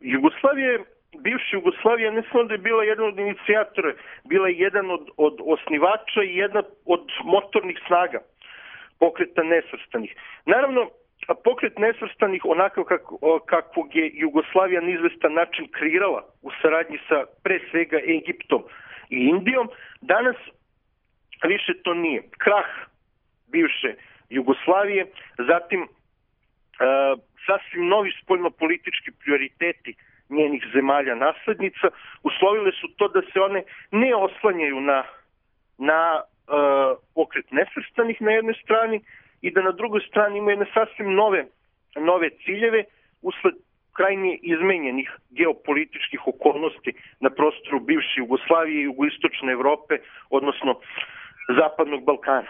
Bivša Jugoslavija ne samo da je bila jedan od inicijatora, bila je jedan od osnivača i jedna od motornih snaga Pokreta nesvrstanih. Naravno, Pokret nesvrstanih, onako kakvog je Jugoslavija na izvestan način kreirala u saradnji sa pre svega Egiptom i Indijom, danas više to nije. Krah bivše Jugoslavije, zatim sasvim novi spoljnopolitički prioriteti njenih zemalja naslednica uslovile su to da se one ne oslanjaju na Pokret nesvrstanih na jednoj strani i da na drugoj strani imaju jedne sasvim nove ciljeve usled krajnje izmenjenih geopolitičkih okolnosti na prostoru bivše Jugoslavije i jugoistočne Evrope, odnosno Zapadnog Balkana.